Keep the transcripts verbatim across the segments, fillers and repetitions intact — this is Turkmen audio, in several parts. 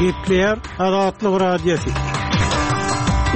Gepleýär Azatlyk Radiosy.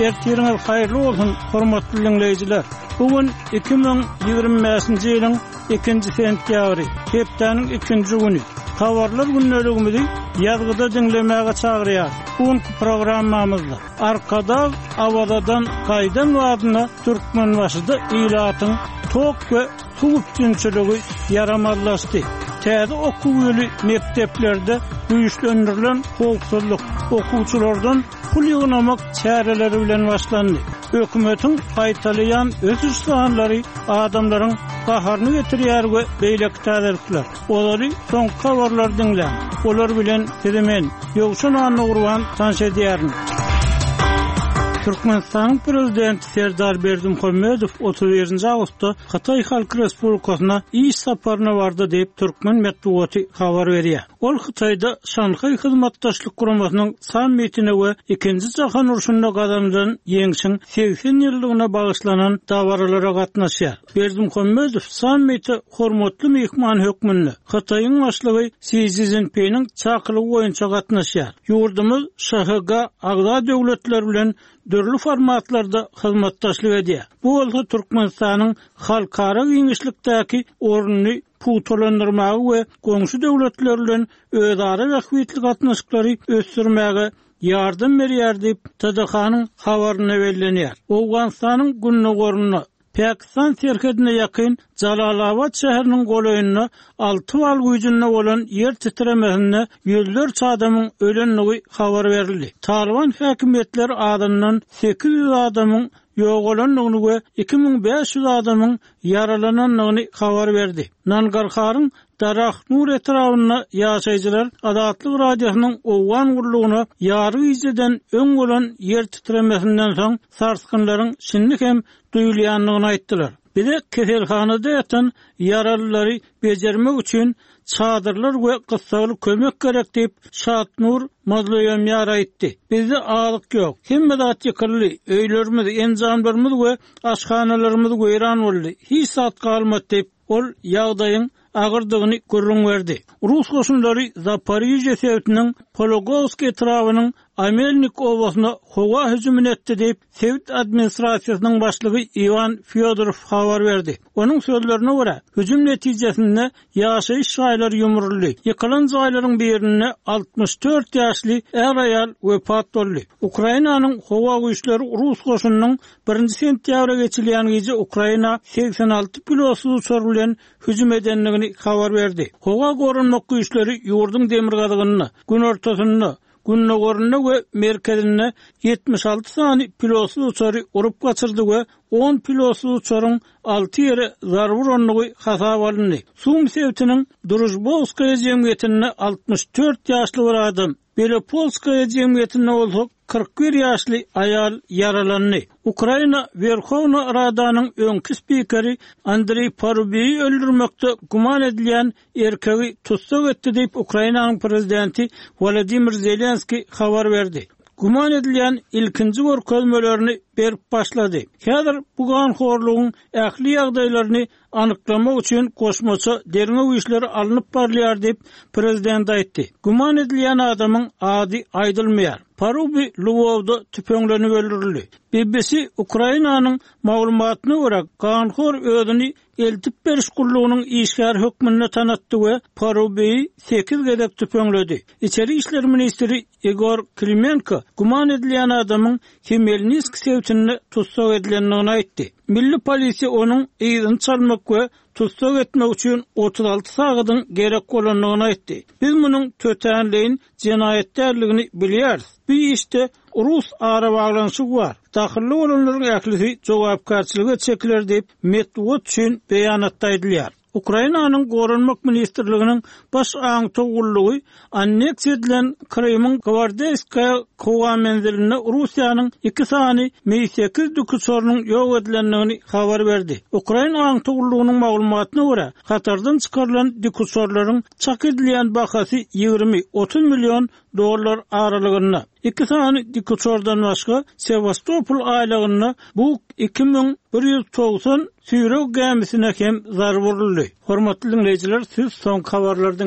Ertiriňiz haýyrly bolsun, hormatly diňleýjiler. Bu gün iki müň ýigrimi bäşinji ýylyň ikinji sentýabry, hepdäniň ikinji güni. Habarlar gündeligimizi ýazgyda diňlemäge çagyrýar. Bu günki programmamyzda Arkadag Awazadan gaýdan badyna Türkmenbaşyda ilatyň tok we suw üpjünçiligi ýaramazlaşdy. Täze okuw ýyly mekdeplerde güýçlendirilen howpsuzlyk, okuwçylardan pul ýygnamak çäreleri bilen başlandy. Hökümetiň gaýtalaýan ösüş sanlary adamlaryň gaharyny getirýär we beýleki täzelikler. Olary soňky habarlar diňläň. Olar bilen sizi men, Ýowşan Annagurban tanyş edýärin. Türkmenistanyň Prezidenti Serdar Berdimuhamedow otuz birinji awgustda Hytaý Halk Respublikasyna iş saparyna bardy diýip türkmen metbugaty habar berýär. Ol Hytaýda Şanhaý Hyzmatdaşlyk Guramasynyň sammitine we Ikinji Jahan urşunda gazanylan ýeňşiň segsen ýyllygyna bagyşlanan dabaralara gatnaşýar. Berdimuhamedow sammite hormatly myhman hökmünde Hytaýyň başlygy Si Szinpiniň çakylygy boýunça gatnaşýar. Ýurdumyz Ş H G agza döwletler bilen dürli formatlarda hyzmatdaşlyk edýär. Bu bolsa Türkmenistanyň halkara giňişlikdäki ornuny pugtalandyrmagy we goňşy döwletler bilen özara bähbitli gatnaşyklary ösdürmäge ýardam berýär diýip T D H-nyň habarynda bellenýär. Owganystanyň gündogarynda Pakistan serhedine ýakyn Jalalabad şäheriniň golaýynda alty bal güýjünde bolan ýer titremesinde ýüzlerçe adamyň ölendigi habar berildi. Taliban häkimiýetleri adyndan sekiz ýüz adamyň ýogalandygyny we iki müň bäş ýüz adamyň ýaralanandygyny habar berdi. Nangarharyň Darahnur etrabynda ýaşaýjylar Azatlyk Radiosynyň Owgan gurlugyna ýary gijeden öň bolan ýer titremesinden soň sarsgynlaryň şindi hem duýulýandygyny aýtdylar. Bize keselhanada ýatan ýaralylary bejermek üçin çadyrlar we gyssagly kömek gerek diýip Şatnur Mazloýamýar aýtdy. Bizde azyk ýok. Hemme zat ýykyldy. Öýlerimiz, enjamlarymyz we aşhanalarymyz weýran boldy. Hiç zat galmady diýip ol ýagdaýyň agyrdygyny gürrüň berdi. Rus goşunlary Zaporijye sebitiniň Pologowsk etrabynyň Amelnik obasyna howa hüjümini etdi diýip sebit administrasiýasynyň başlygy Iwan Fyodorov habar berdi. Onuň sözlerine görä, hüjüm netijesinde ýaşaýyş jaýlary ýumruldy. Ýykylan jaýlaryň birinde altmyş dört ýaşly är-aýal wepat boldy. Ukrainanyň howa güýçleri Rus goşunynyň birinji sentýabra geçilýän gije Ukraina segsen alty pilotsyz uçar bilen hüjüm edendigini habar berdi. Howa goranmak güýçleri ýurduň demirgazygynda, günortasynda, gündogarynda we merkezinde ýetmiş alty sany pilotsyz uçary urup gaçyrdy we on pilotsyz uçaryň alty ýere zarba urandygy hasap alyndy. Sum sebitiniň Drujbowskaýa jemgyýetinde altmyş dört ýaşly bir adam, Belopolskaýa jemgyýetinde bolsa kyrk bir ýaşly aýal ýaralandy. Ukraina Werhowna Radanyň öňki spikeri Andriy Parubiýi öldürmekde güman edilýän erkegi tussag etdi diýip Ukrainanyň prezidenti Volodymyr Zelenskiý habar berdi. Güman edilýän ilkinji görkezmelerini berip başlady. Häzir bu ganhorlugyň ähli ýagdaýlaryny anyklamak üçin goşmaça derňew işleri alnyp barylýar diýip prezident aýtdy. Güman edilýän adamyň ady aýdylmaýar. Parubi Lwowda tüpeňlenip öldürildi. B B C Ukrainanyň maglumatyna görä ganhor özüni eltip beriş gullugynyň işgär hökmünde tanatdy we Parubiýi sekiz gezek tüpeňledi. Içeri işler ministri Igor Klimenko güman edilýän adamyň Hmelnitsk sebitinde tussag edilendigini aýtdy. Milli polisiýa onuň yzyny çalmak we tussag etmek üçin otuz alty sagadyň gerek bolandygyny aýtdy. Biz munuň tötänleýin jenaýat däldigini bilýäris. Bu işde Rus arabaglanyşygy bar. Dahylly bolanlaryň ählisi jogapkärçilige çekiler diýip metbugat üçin beýanatda aýdylýar. Ukrainanyň Goranmak Ministrliginiň baş aňtaw gullugy anneksiýa edilen Krymyň Gvardeyskaya howa menzilinde Russiýanyň iki sany Mi sekiz dikuçarynyň ýok edilendigini habar berdi. Ukraina aňtaw gullugynyň maglumatyna görä, hatardan çykarylan dikuçarlaryň çak edilýän bahasy ýigrimi otuz million dollar aralygynda. Iki sany dikuçardan başga Sevastopol aýlagynda Buk iki müň bir ýüz togsan süýreg gämisine hem zarba uruldy. Hormatly dinleýjiler, siz soňky habarlary dinlediniz.